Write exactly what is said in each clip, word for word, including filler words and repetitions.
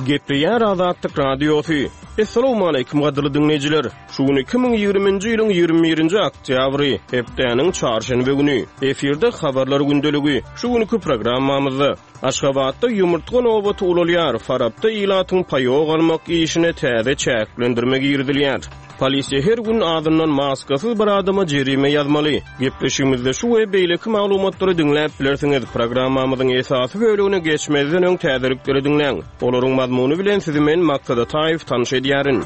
Gepleýär Azatlyk Radiosy. Essalawmaleýkim gadyrly diňleýjiler. Şu gün iki müň ýigriminji ýylyň ýigrimi birinji oktýabry, hepdäniň çarşenbe güni. Efirde habarlar gündeligi. Şu günki programmamyzda Aşgabatda ýumurtga nobaty ulalýar, Farapda ilatyň paýok almak işine täze çäklendirme girizilýär. Polisiýa her gün azyndan maskasyz bir adama jerime ýazmaly. Gepleşigimizde şu we beýleki maglumatlary diňläp bilersiňiz. Programmamyzyň esasy bölegine geçmezden öň täzelikleri diňläň. Olaryň mazmuny bilen sizi men Maksat Ataýew tanyş edýärin.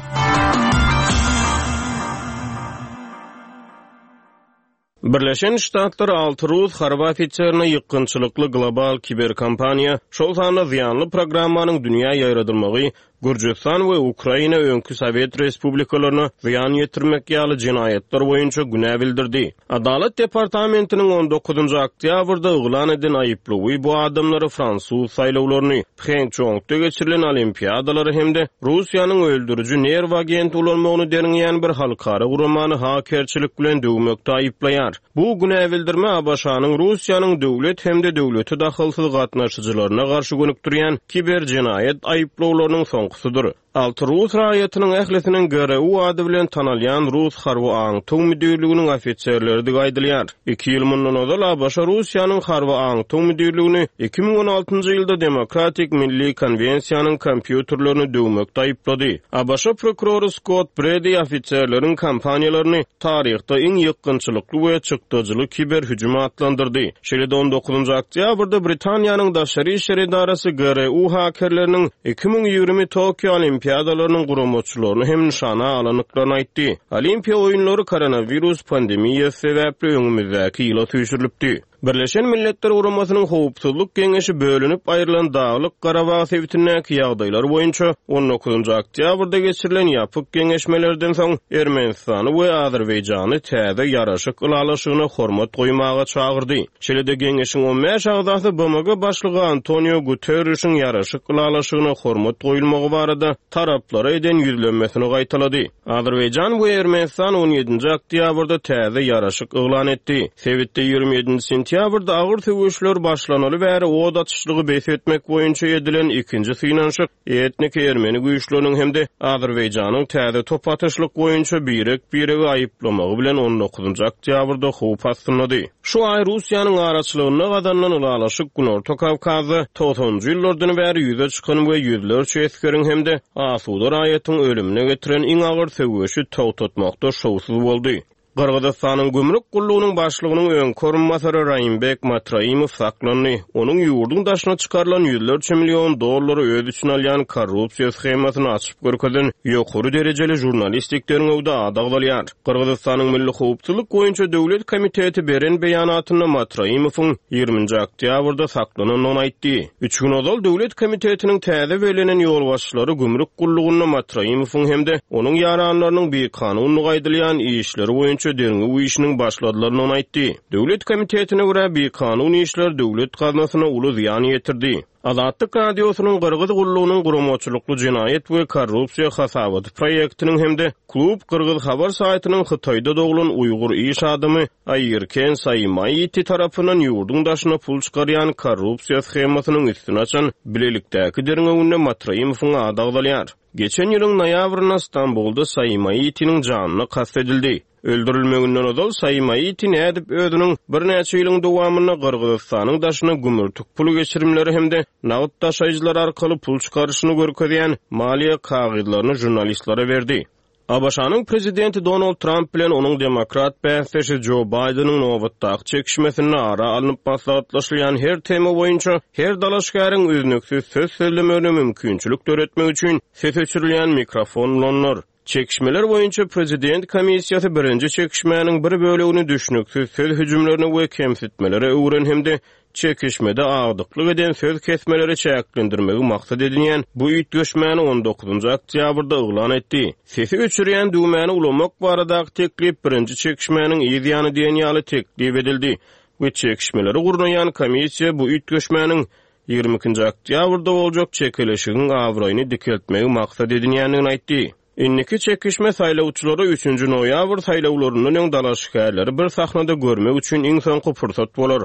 Birleşen Ştatlar alty rus harby ofiserine ýykgynçylykly global kiberkampaniýa, şol sanda zyýanly programmanyň dünýä ýaýradylmagy, Gürjüstan we Ukraina öňki sowet respublikalaryna zyýan ýetirmek ýaly jenaýatlar boýunça günä bildirdi. Adalat departamentiniň on dokuzynjy oktýabrda yglan eden aýyplawy bu adamlary fransuz saýlawlaryny, Phençongda geçirilen olimpiadalary hem-de Russiýanyň öldüriji nerw agenti ulanmagyny derňeýän bir halkara guramany hakerçilik bilen döwmekde aýyplaýar. Bu günä bildirme A B Ş-nyň Russiýanyň döwlet hem-de döwleti dahylsyz gatnaşyjylaryna garşy gönükdirýän kiber jenaýat aýyplawlarynyň soňkusydyr. Alty rus raýatynyň ählisiniň G R U ady bilen tanalýan Rus harby aňtaw müdirliginiň ofiserleridir aýdylýar. Iki ýyl mundan ozal A B Ş Russiýanyň harby aňtaw müdirligini iki müň on altynjy ýylda Demokratik Milli Konwensiýanyň kompýuterlerini döwmekde aýyplady. A B Ş prokurory Scott Brady ofiserleriň kompaniýalaryny taryhda iň ýykgynçylykly we çykdajyly kiber hüjüm atlandyrdy. Şeýle-de on dokuzynjy oktýabrda Britaniýanyň daşary işler edarasy G R U hakerleriniň iki müň ýigrimi Tokio Olimpiadalarynyň guramaçylaryny hem nyşana alandyklaryny aýtdy. Olimpiýa oýunlary koronawirus pandemiýasy sebäpli öňümizdäki ýyla süýşürilipdi. Birleşen Milletler Guramasynyň Howpsuzlyk Geňeşi bölünip aýrylan Daglyk Garabag sebitindäki ýagdaýlar boýunça on dokuzynjy oktýabrda geçirilen ýapyk geňeşmelerden soň Ermenistany we Azerbaýjany täze ýaraşyk ylalaşygyna hormat goýmaga çagyrdy. Şeýle-de geňeşiň on bäş agzasy B M G başlygy Antonio Guterrişiň ýaraşyk ylalaşygyna hormat goýulmagy barada taraplara eden ýüzlenmesini gaýtalady. Azerbaýjan we Ermenistan on ýedinji oktýabrda täze ýaraşyk yglan etdi. Sebitde ýigrimi ýedinji sentýabrda agyr söweşler başlanaly bäri od atyşlygy bes etmek boýunça edilen ikinji synanyşyk etnik ermeni güýçleriniň hem-de Azerbaýjanyň täze top atyşlyk boýunça birek-biregi aýyplamagy bilen on dokuzynjy oktýabrda howp astyndady. Şu aý Russiýanyň araçylygynda gazanylan ylalaşyk Günorta Kawkazda togsanjy ýyllardan bäri ýüze çykan we ýüzlerçe esgeriň hem-de asuda raýatyň ölümine getiren iň agyr söweşi togtatmakda şowsuz boldy. Gyrgyzystanyň gümrük gullugynyň başlygynyň öňki orunbasary Raimbek Matraimow saklandy. Onuň ýurduň daşyna çykarylan ýüzlerçe million dollary öz içine alýan korrupsiýa shemasyny açyp görkezen ýokary derejeli žurnalistik derňewde ady agzalýar. Gyrgyzystanyň Milli Howpsuzlyk boýunça Döwlet komiteti beren beýanatynda Matraimowyň ýigriminji oktýabrda saklanandygyny aýtdy. Üç gün ozal Döwlet komitetiniň täze bellenen ýolbaşçylary gümrük gullugynda Matraimowyň hem-de onuň ýaranlarynyň bikanunlyk aýdylýan işleri boýunça derňew işiniň başladylaryny aýtdy. Döwlet komitetine görä bikanun işler döwlet gaznasyna uly zyýan ýetirdi. Azatlyk Radiosynyň Gyrgyz gullugynyň guramaçylykly jenaýat we korrupsiýa hasabaty proýektiniň hem-de Klub Gyrgyz habar saýtynyň Hytaýda doglan Uýgur iş adamy Aýerken Saýmaýiti tarapyndan ýurduň daşyna pul çykarýan korrupsiýa shemasynyň üstüni açan bilelikdäki derňewinde Matraimowyň ady agzalýar. Geçen ýylyň noýabrynda Stambulda Saýmaýitiniň janyna kast edildi. Öldürilmeginden ozal Saýmaýiti nädip özüniň birnäçe ýylyň dowamynda Gyrgyzystanyň daşyna gümürtik pul geçirimleri hem-de nagt daşaýjylar arkaly pul çykaryşyny görkezýän maliýe kagyzlaryny žurnalistlere berdi. A B Ş-nyň prezidenti Donald Trump bilen onuň demokrat bäsdeşi Joe Bideniň nobatdaky çekişmesinde ara alnyp maslahatlaşylýan her tema boýunça her dalaşgäriň üznüksiz söz sözlemegine mümkinçilik döretmek üçin ses öçürilýän mikrofon ulanlar. Çekişmeler boýunça prezident komissiýasy birinji çekişmäniň bir bölegini düşnüksiz söz hüjümlerine we kemsitmelere öwren hem-de çekişmede agdyklyk eden söz kesmeleri çäklendirmegi maksat edinýän bu üýtgeşmäni on dokuzynjy oktýabrda yglan etdi. Sesi öçürýän düwmäni ulamak baradaky teklip birinji çekişmäniň yz ýany diýen ýaly teklip edildi we çekişmeleri gurnaýan komissiýa bu üýtgeşmäniň ýigrimi ikinji oktýabrda boljak çekeleşigiň abraýyny dikeltmegi maksat edinýändigini aýtdy. Indiki çekişme saýlawçylara üçünji noýabr saýlawlaryndan öň dalaşgärleri bir sahnada görmek üçin iň soňky pursat bolar.